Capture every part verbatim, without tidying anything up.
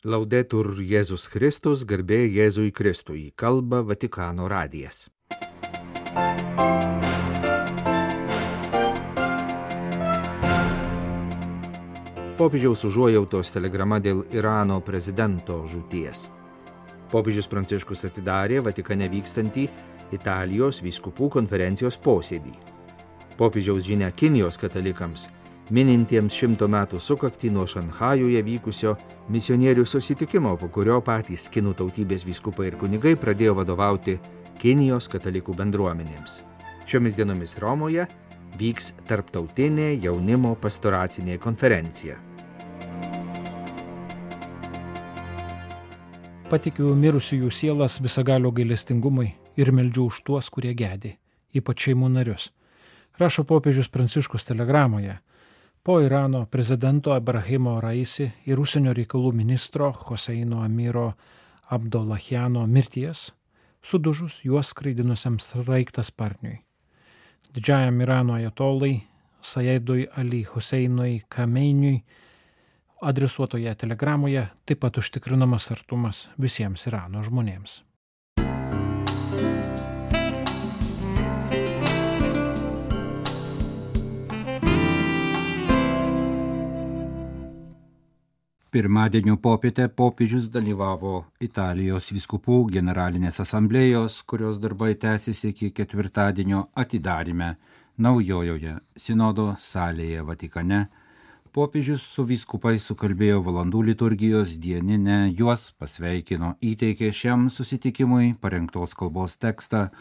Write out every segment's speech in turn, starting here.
Laudetur Jėzus Kristus, garbė Jėzui Kristui, kalba Vatikano radijas. Popiežiaus užuojautos telegrama dėl Irano prezidento žūties. Popiežius Pranciškus atidarė Vatikane vykstantį Italijos vyskupų konferencijos posėdį. Popiežiaus žinia Kinijos katalikams, minintiems šimto metų sukaktį nuo Šanchajuje vykusio misionierių susitikimo, po kurio patys kinų tautybės vyskupai ir kunigai pradėjo vadovauti Kinijos katalikų bendruomenėms. Šiomis dienomis Romoje vyks tarptautinė jaunimo pastoracinė konferencija. Patikiu mirusiųjų sielas visagalio gailestingumui ir meldžiu už tuos, kurie gedi, ypač šeimų narius. Rašo popiežius Pranciškus telegramoje. Po Irano prezidento Ibrahimo Raisi ir užsienio reikalų ministro Hoseino Amiro Abdollahiano mirties, sudužus juos skraidinusiam sraigtasparniui. Didžiajam Irano ajatolai Sajedui Ali Huseinui Kameiniui adresuotoje telegramoje taip pat užtikrinamas artumas visiems Irano žmonėms. Pirmadienio popietę popiežius dalyvavo Italijos vyskupų generalinės asamblėjos, kurios darbai tęsiasi iki ketvirtadienio atidaryme naujojoje sinodo salėje Vatikane. Popiežius su vyskupais sukalbėjo valandų liturgijos dieninę, juos pasveikino, įteikė šiam susitikimui parengtos kalbos tekstą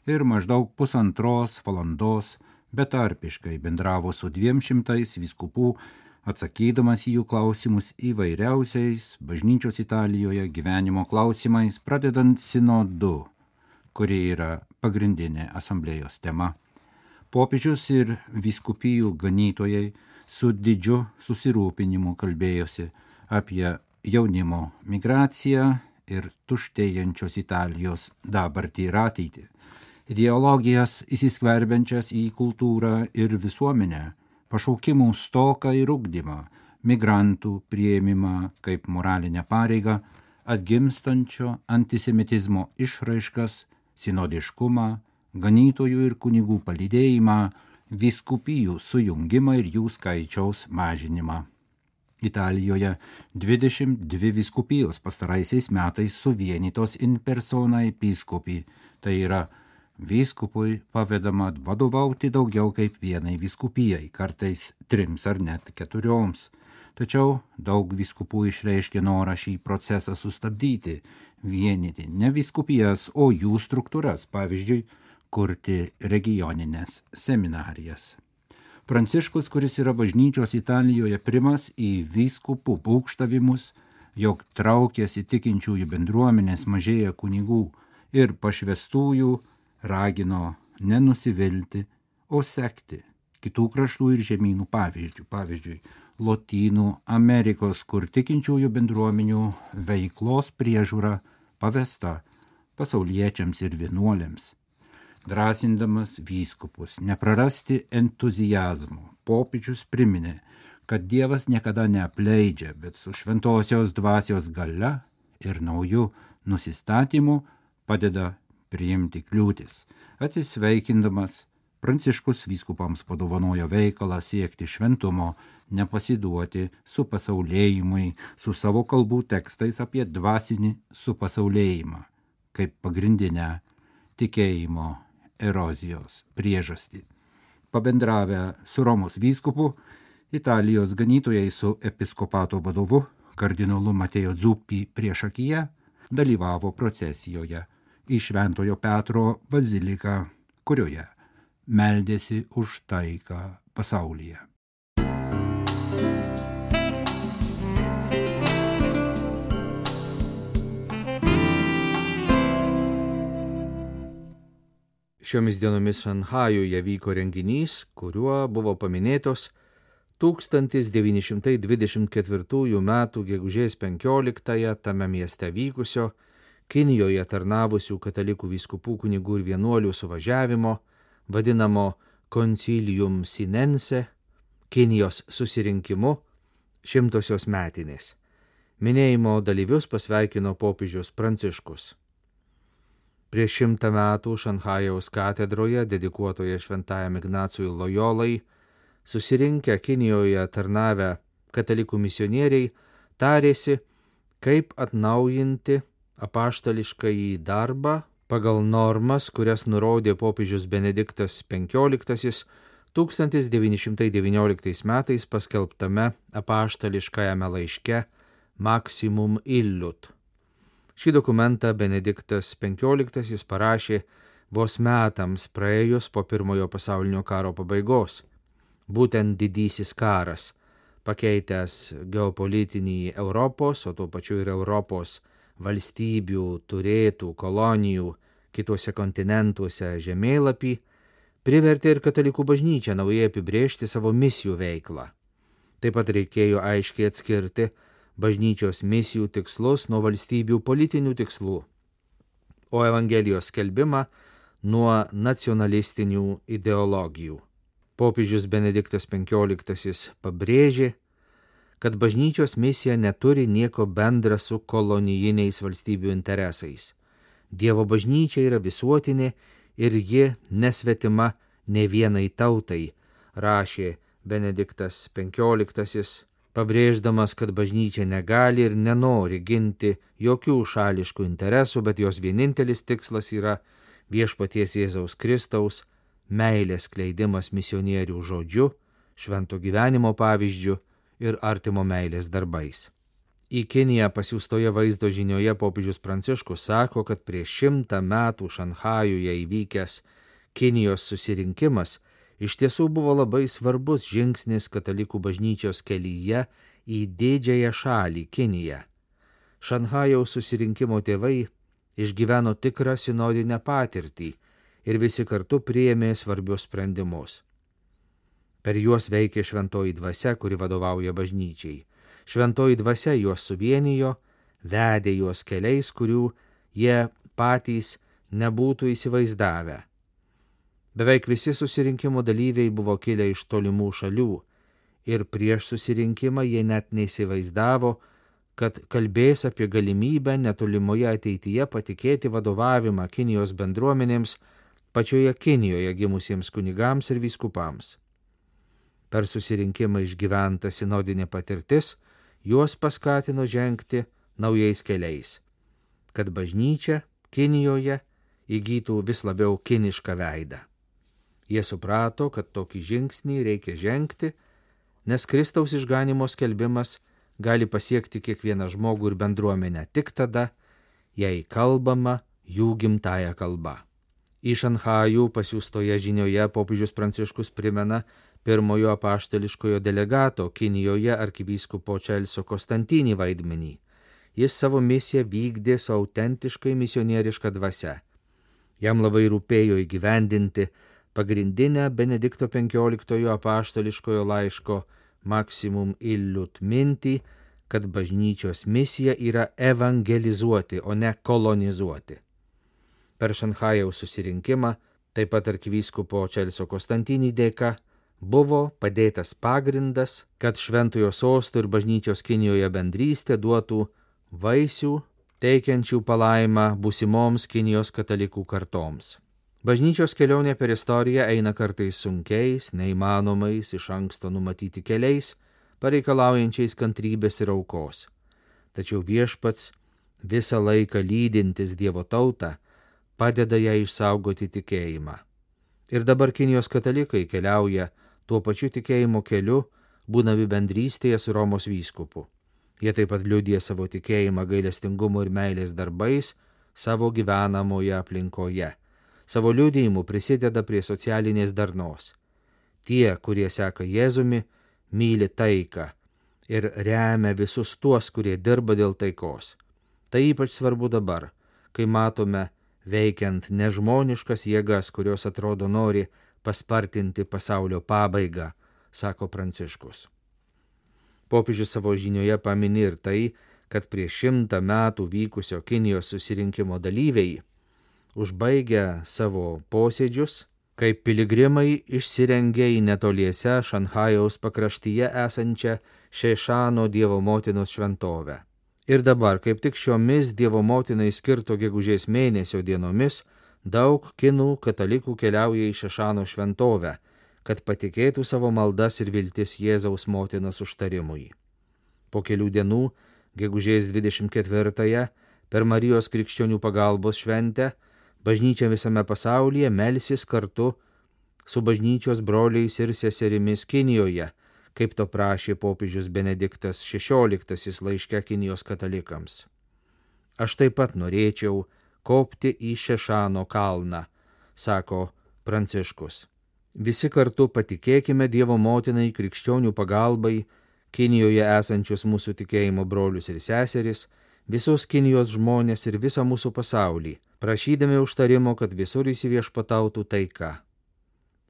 ir maždaug pusantros valandos betarpiškai bendravo su dviem šimtais vyskupų, atsakydamas į jų klausimus įvairiausiais bažnyčios Italijoje gyvenimo klausimais, pradedant sinodu, kuri yra pagrindinė asamblėjos tema. Popiežius ir vyskupijų ganytojai su didžiu susirūpinimu kalbėjosi apie jaunimo migraciją ir tuštėjančios Italijos dabartį ir ateitį, ideologijas įsiskverbiančias į kultūrą ir visuomenę, pašaukimų stoką ir ugdymą, migrantų priėmimą kaip moralinę pareigą, atgimstančio antisemitizmo išraiškas, sinodiškumą, ganytojų ir kunigų palydėjimą, vyskupijų sujungimą ir jų skaičiaus mažinimą. Italijoje dvidešimt dvi vyskupijos pastaraisiais metais suvienytos in persona episkopi, tai yra vyskupui pavedama vadovauti daugiau kaip vienai vyskupijai, kartais trims ar net keturioms. Tačiau daug vyskupų išreiškė norą šį procesą sustabdyti, vienyti ne vyskupijas, o jų struktūras, pavyzdžiui, kurti regioninės seminarijas. Pranciškus, kuris yra bažnyčios Italijoje primas į vyskupų būgštavimus, jog traukėsi tikinčiųjų bendruomenės mažėja kunigų ir pašvestųjų, ragino nenusivilti, o sekti kitų kraštų ir žemynų pavyzdžių, pavyzdžiui, Lotynų Amerikos, kur tikinčiųjų bendruomenių veiklos priežiūra pavesta pasauliečiams ir vienuolėms. Drąsindamas vyskupus neprarasti entuziazmo, popiežius priminė, kad Dievas niekada neapleidžia, bet su šventosios dvasios galia ir nauju nusistatymu padeda priimti kliūtis. Atsisveikindamas, Pranciškus vyskupams padovanojo veikalą siekti šventumo, nepasiduoti supasaulėjimui su savo kalbų tekstais apie dvasinį supasaulėjimą, kaip pagrindinę tikėjimo erozijos priežastį. Pabendravę su Romos vyskupu, Italijos ganytojai su episkopato vadovu, kardinolu Mateo Zuppi priešakyje, dalyvavo procesijoje į Šventojo Petro baziliką, kurioje meldėsi už taiką pasaulyje. Šiomis dienomis Šanchajuje vyko renginys, kuriuo buvo paminėtos tūkstantis devyni šimtai dvidešimt ketvirtųjų metų gegužės penkioliktąją tame mieste vykusio Kinijoje tarnavusių katalikų vyskupų kunigų ir vienuolių suvažiavimo, vadinamo Concilium Sinense, Kinijos susirinkimu, šimtosios metinės. Minėjimo dalyvius pasveikino popiežius Pranciškus. Prieš šimtą metų Šanchajaus katedroje, dedikuotoje šventajam Ignacui Lojolai, susirinkę Kinijoje tarnavę katalikų misionieriai tarėsi, kaip atnaujinti apaštališkąjį darbą pagal normas, kurias nurodė popiežius Benediktas penkioliktasis tūkstantis devyni šimtai devynioliktais metais paskelbtame apaštališkajame laiške Maximum Illut. Šį dokumentą Benediktas penkioliktasis parašė vos metams praėjus po pirmojo pasaulinio karo pabaigos. Būtent didysis karas, pakeitęs geopolitinį Europos, o tuo pačiu ir Europos valstybių turėtų kolonijų kituose kontinentuose žemėlapį, privertė ir katalikų bažnyčią naujai apibrėžti savo misijų veiklą. Taip pat reikėjo aiškiai atskirti bažnyčios misijų tikslus nuo valstybių politinių tikslų, o Evangelijos skelbimą nuo nacionalistinių ideologijų. Popiežius Benediktas penkioliktasis pabrėžė, kad bažnyčios misija neturi nieko bendra su kolonijiniais valstybių interesais. Dievo bažnyčia yra visuotinė ir ji nesvetima ne vienai tautai, rašė Benediktas penkioliktasis, pabrėždamas, kad bažnyčia negali ir nenori ginti jokių šališkų interesų, bet jos vienintelis tikslas yra viešpaties Jėzaus Kristaus meilės skleidimas misionierių žodžiu, švento gyvenimo pavyzdžiu ir artimo meilės darbais. Į Kiniją pasiųstoje vaizdo žinioje popiežius Pranciškus sako, kad prieš šimtą metų Šanchajuje įvykęs Kinijos susirinkimas iš tiesų buvo labai svarbus žingsnis katalikų bažnyčios kelyje į didžiąją šalį Kiniją. Šanchajaus susirinkimo tėvai išgyveno tikrą sinodinę patirtį ir visi kartu priėmė svarbius sprendimus. Per juos veikė šventoji dvasia, kuri vadovauja bažnyčiai. Šventoji dvasia juos suvienijo, vedė juos keliais, kurių jie patys nebūtų įsivaizdavę. Beveik visi susirinkimo dalyviai buvo kilę iš tolimų šalių ir prieš susirinkimą jie net neįsivaizdavo, kad kalbės apie galimybę netolimoje ateityje patikėti vadovavimą Kinijos bendruomenėms pačioje Kinijoje gimusiems kunigams ir vyskupams. Per susirinkimą išgyventa sinodinė patirtis juos paskatino žengti naujais keliais, kad bažnyčia Kinijoje įgytų vis labiau kinišką veidą. Jie suprato, kad tokį žingsnį reikia žengti, nes Kristaus išganimo skelbimas gali pasiekti kiekvieną žmogų ir bendruomenę tik tada, jei kalbama jų gimtąja kalba. Į Šanchajų pasiųstoje žinioje popiežius Pranciškus primena pirmojo apaštališkojo delegato Kinijoje arkivyskupo Čelsio Konstantinį vaidmenį. Jis savo misiją vykdė su autentiškai misionieriška dvasia. Jam labai rūpėjo įgyvendinti pagrindinę Benedikto penkioliktojo apaštališkojo laiško Maximum Illut mintį, kad bažnyčios misija yra evangelizuoti, o ne kolonizuoti. Per Šanchajaus susirinkimą, taip pat arkivyskupo Čelsio Konstantinį dėka, buvo padėtas pagrindas, kad šventojo sosto ir bažnyčios Kinijoje bendrystė duotų vaisių, teikiančių palaimą būsimoms Kinijos katalikų kartoms. Bažnyčios kelionė per istoriją eina kartais sunkiais, neįmanomais, iš anksto numatyti keliais, pareikalaujančiais kantrybės ir aukos. Tačiau viešpats, visą laiką lydintis Dievo tautą, padeda ją išsaugoti tikėjimą. Ir dabar Kinijos katalikai keliauja tuo pačiu tikėjimo keliu, būdami bendrystėje su Romos vyskupu. Jie taip pat liudija savo tikėjimą gailestingumo ir meilės darbais savo gyvenamoje aplinkoje. Savo liudijimu prisideda prie socialinės darnos. Tie, kurie seka Jėzumi, myli taiką ir remia visus tuos, kurie dirba dėl taikos. Tai ypač svarbu dabar, kai matome veikiant nežmoniškas jėgas, kurios atrodo nori paspartinti pasaulio pabaigą, sako Pranciškus. Popiežius savo žinioje pamini ir tai, kad prieš šimtą metų vykusio Kinijos susirinkimo dalyviai, užbaigę savo posėdžius, kaip piligrimai išsirengė į netoliese Šanchajaus pakraštyje esančią Šešano Dievo motinos šventovę. Ir dabar, kaip tik šiomis Dievo motinai skirto gegužės mėnesio dienomis, daug kinų katalikų keliauja į Šešano šventovę, kad patikėtų savo maldas ir viltis Jėzaus motinos užtarimui. Po kelių dienų, gegužės dvidešimt ketvirtąją, per Marijos krikščionių pagalbos šventę, bažnyčia visame pasaulyje melsis kartu su bažnyčios broliais ir seserimis Kinijoje, kaip to prašė popiežius Benediktas šešioliktasis laiške Kinijos katalikams. Aš taip pat norėčiau kopti į Šešano kalną, sako Pranciškus. Visi kartu patikėkime Dievo motinai krikščionių pagalbai, Kinijoje esančius mūsų tikėjimo brolius ir seseris, visus Kinijos žmonės ir visą mūsų pasaulį, prašydami užtarimo, kad visur įsiviešpatautų taika.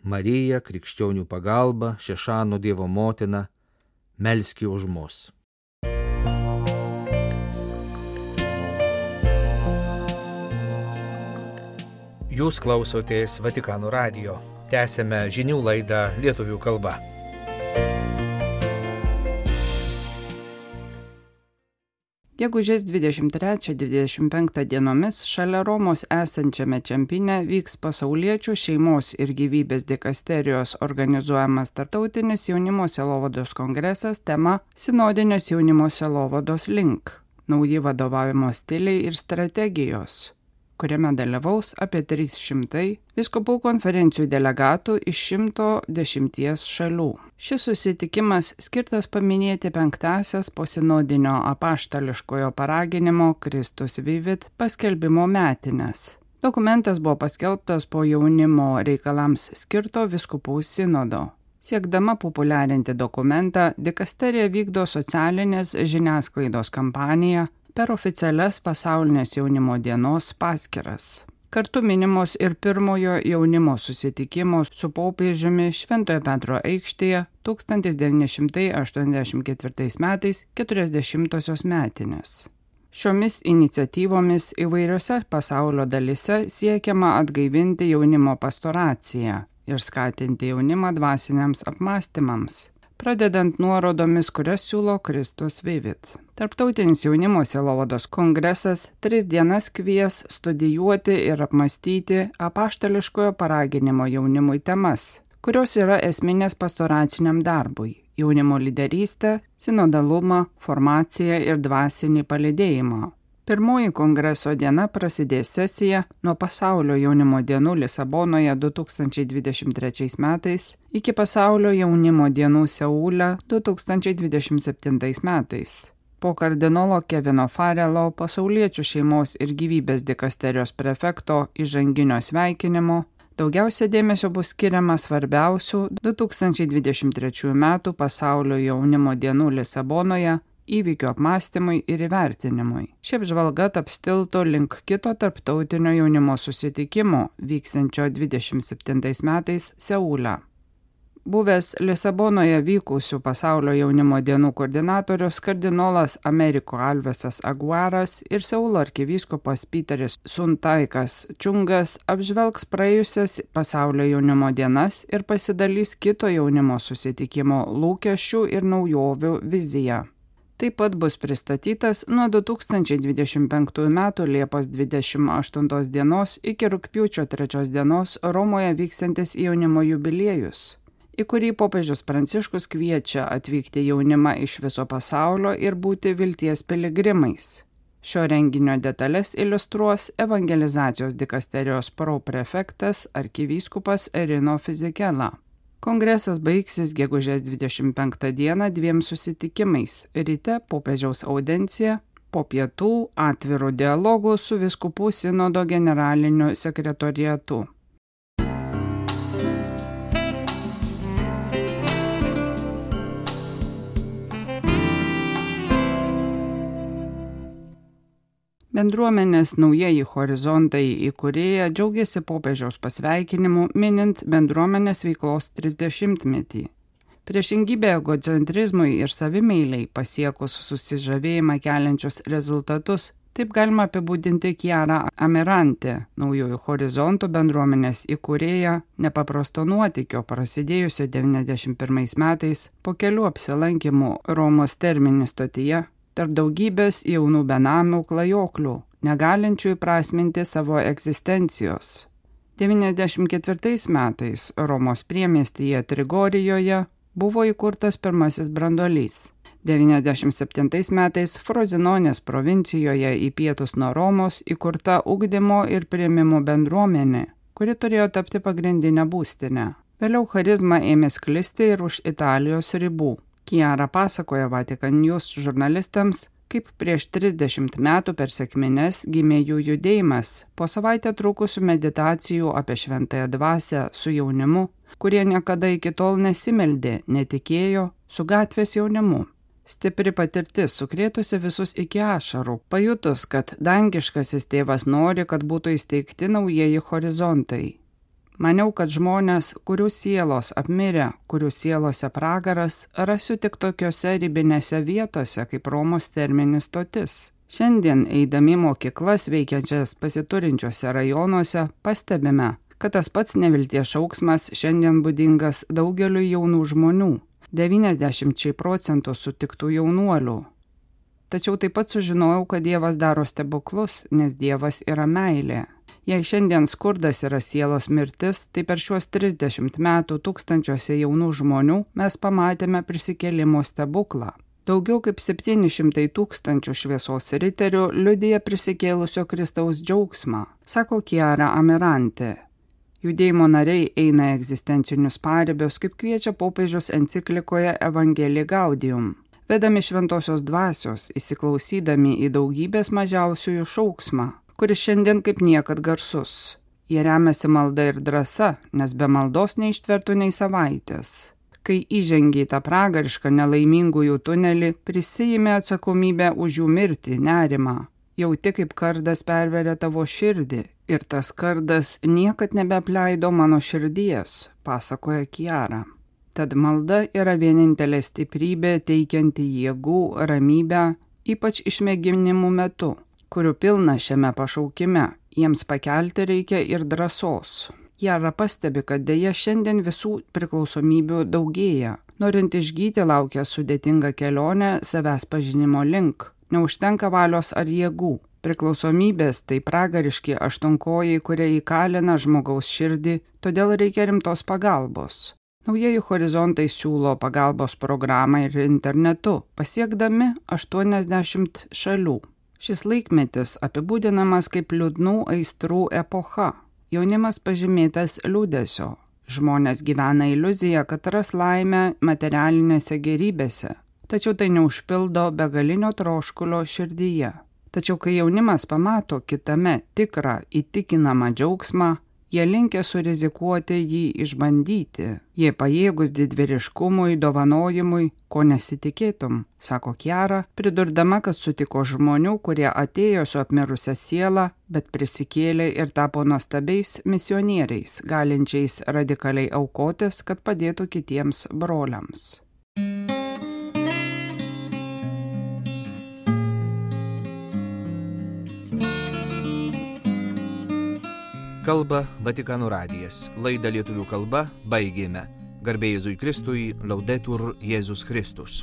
Marija, krikščionių pagalba, Šešano Dievo motina, melski už mus. Jūs klausotės Vatikano radijo. Tęsėme žinių laidą lietuvių kalba. Gegužės dvidešimt trečią dvidešimt penktą dienomis šalia Romos esančiame Čempine vyks pasauliečių šeimos ir gyvybės dikasterijos organizuojamas tarptautinis jaunimo sielovados kongresas tema Sinodinės jaunimo sielovados link – nauji vadovavimo stiliai ir strategijos, kuriame dalyvaus apie trys šimtai vyskupų konferencijų delegatų iš šimto dešimties šalių. Šis susitikimas skirtas paminėti penktąsias posinodinio apaštališkojo paraginimo Kristus Vivit paskelbimo metines. Dokumentas buvo paskelbtas po jaunimo reikalams skirto vyskupų sinodo. Siekdama populiarinti dokumentą, dikasterija vykdo socialinės žiniasklaidos kampaniją per oficialias pasaulinės jaunimo dienos paskyras. Kartu minimos ir pirmojo jaunimo susitikimo su popiežiumi Šventojo Petro aikštėje tūkstantis devyni šimtai aštuoniasdešimt ketvirtais metais keturiasdešimtosios metinės. Šiomis iniciatyvomis įvairiose pasaulio dalyse siekiama atgaivinti jaunimo pastoraciją ir skatinti jaunimą dvasiniams apmąstymams, pradedant nuorodomis, kurias siūlo Kristus Vivit. Tarptautinis jaunimo sielovados kongresas tris dienas kvies studijuoti ir apmąstyti apaštališkojo paraginimo jaunimui temas, kurios yra esminės pastoraciniam darbui – jaunimo lyderystę, sinodalumą, formaciją ir dvasinį palydėjimą. Pirmoji kongreso diena prasidės sesija nuo pasaulio jaunimo dienų Lisabonoje du tūkstančiai dvidešimt trečiais metais iki pasaulio jaunimo dienų Seule du tūkstančiai dvidešimt septintais metais. Po kardinolo Kevino Farelo pasauliečių šeimos ir gyvybės dikasterijos prefekto įžanginio sveikinimo daugiausia dėmesio bus skiriama svarbiausių du tūkstančiai dvidešimt trečiųjų metų pasaulio jaunimo dienų Lisabonoje įvykių apmąstymui ir įvertinimui. Ši apžvalga taps tiltu link kito tarptautinio jaunimo susitikimo vyksiančio dvidešimt septintais metais Seule. Buvęs Lisabonoje vykusių pasaulio jaunimo dienų koordinatorius kardinolas Ameriko Alvesas Aguaras ir Seulo arkivyskupas Piteris Suntaikas Čungas apžvelgs praėjusias pasaulio jaunimo dienas ir pasidalys kito jaunimo susitikimo lūkesčių ir naujovių viziją. Taip pat bus pristatytas nuo du tūkstančiai dvidešimt penktųjų metų Liepos dvidešimt aštuntos dienos iki rugpjūčio trečios dienos Romoje vyksiantis jaunimo jubiliejus, į kurį popiežius Pranciškus kviečia atvykti jaunimą iš viso pasaulio ir būti vilties piligrimais. Šio renginio detalės iliustruos evangelizacijos dikasterijos proprefektas arkivyskupas Rino Fizikela. Kongresas baigsis gegužės dvidešimt penktą dieną dviem susitikimais – ryte popiežiaus audencija, po pietų atvirų dialogų su vyskupų sinodo generaliniu sekretoriatu. Bendruomenės Naujieji horizontai įkūrėja džiaugiasi popiežiaus pasveikinimu minint bendruomenės veiklos trisdešimtmetį. Priešingybė egocentrizmui ir savimeiliai pasiekus susižavėjimą keliančius rezultatus, taip galima apibūdinti Chiara Amirante, Naujųjų horizontų bendruomenės įkūrėja, nepaprasto nuotykio prasidėjusio devyniasdešimt pirmais metais po kelių apsilankymų Romos Termini stotyje, tarp daugybės jaunų benamių klajoklių, negalinčių įprasminti savo egzistencijos. devyniasdešimt ketvirtais metais Romos priemiestyje Trigorijoje buvo įkurtas pirmasis branduolys. devyniasdešimt septintais metais Frozinonės provincijoje į pietus nuo Romos įkurta ugdymo ir priėmimo bendruomenė, kuri turėjo tapti pagrindinę būstinę. Vėliau charizma ėmė sklisti ir už Italijos ribų. Chiara pasakoja Vatikan News žurnalistams, kaip prieš trisdešimt metų per sekmines gimė jų judėjimas, po savaitę trukusių meditacijų apie šventąją dvasią su jaunimu, kurie niekada iki tol nesimeldė, netikėjo, su gatvės jaunimu. Stipri patirtis sukrėtusi visus iki ašarų, pajutus, kad dangiškasis tėvas nori, kad būtų įsteigti naujieji horizontai. Maniau, kad žmonės, kurių sielos apmirę, kurių sielose pragaras, rasiu tik tokiose ribinėse vietose, kaip Romos terminis stotis. Šiandien, eidami mokyklas veikiančias pasiturinčiuose rajonuose, pastebime, kad tas pats nevilties šauksmas šiandien būdingas daugeliu jaunų žmonių, devyniasdešimčiai procentų sutiktų jaunuolių. Tačiau taip pat sužinojau, kad Dievas daro stebuklus, nes Dievas yra meilė. Jei šiandien skurdas yra sielos mirtis, tai per šiuos trisdešimt metų tūkstančiuose jaunų žmonių mes pamatėme prisikėlimo stebuklą. Daugiau kaip septyni šimtai tūkstančių šviesos riterių liudija prisikėlusio Kristaus džiaugsmą, sako Chiara Amirante. Judėjimo nariai eina egzistencinius paribius, kaip kviečia popiežius enciklikoje Evangelii Gaudium. Vedami šventosios dvasios, įsiklausydami į daugybės mažiausiųjų šauksmą, kuris šiandien kaip niekad garsus. Jie remiasi malda ir drąsa, nes be maldos neištvertų nei savaitės. Kai įžengia į tą pragarišką nelaimingųjų tunelį, prisijime atsakomybę už jų mirtį, nerimą. Jauti, kaip kardas perveria tavo širdį, ir tas kardas niekad nebeapleido mano širdies, pasakoja Chiara. Tad malda yra vienintelė stiprybė teikianti jėgų, ramybę, ypač išmėginimų metu, kurių pilna šiame pašaukime, jiems pakelti reikia ir drąsos. Chiara pastebi, kad dėja šiandien visų priklausomybių daugėja. Norint išgyti laukia sudėtinga kelionė savęs pažinimo link. Neužtenka valios ar jėgų. Priklausomybės tai pragariški aštuonkojai, kurie įkalina žmogaus širdį, todėl reikia rimtos pagalbos. Naujieji horizontai siūlo pagalbos programą ir internetu, pasiekdami aštuoniasdešimt šalių. Šis laikmetis apibūdinamas kaip liūdnų aistrų epocha. Jaunimas pažymėtas liūdesio. Žmonės gyvena iliuziją, kad ras laimę materialinėse gerybėse, tačiau tai neužpildo begalinio troškulio širdyje. Tačiau kai jaunimas pamato kitame tikrą įtikinamą džiaugsmą, jie linkę surizikuoti jį išbandyti. Jie pajėgus didvyriškumui, dovanojimui, ko nesitikėtum, sako Chiara, pridurdama, kad sutiko žmonių, kurie atėjo su apmirusia siela, bet prisikėlė ir tapo nuostabiais misionieriais, galinčiais radikaliai aukotis, kad padėtų kitiems broliams. Kalba Vatikano radijas. Laidą lietuvių kalba baigėme. Garbė Jėzui Kristui, Laudetur Jėzus Kristus.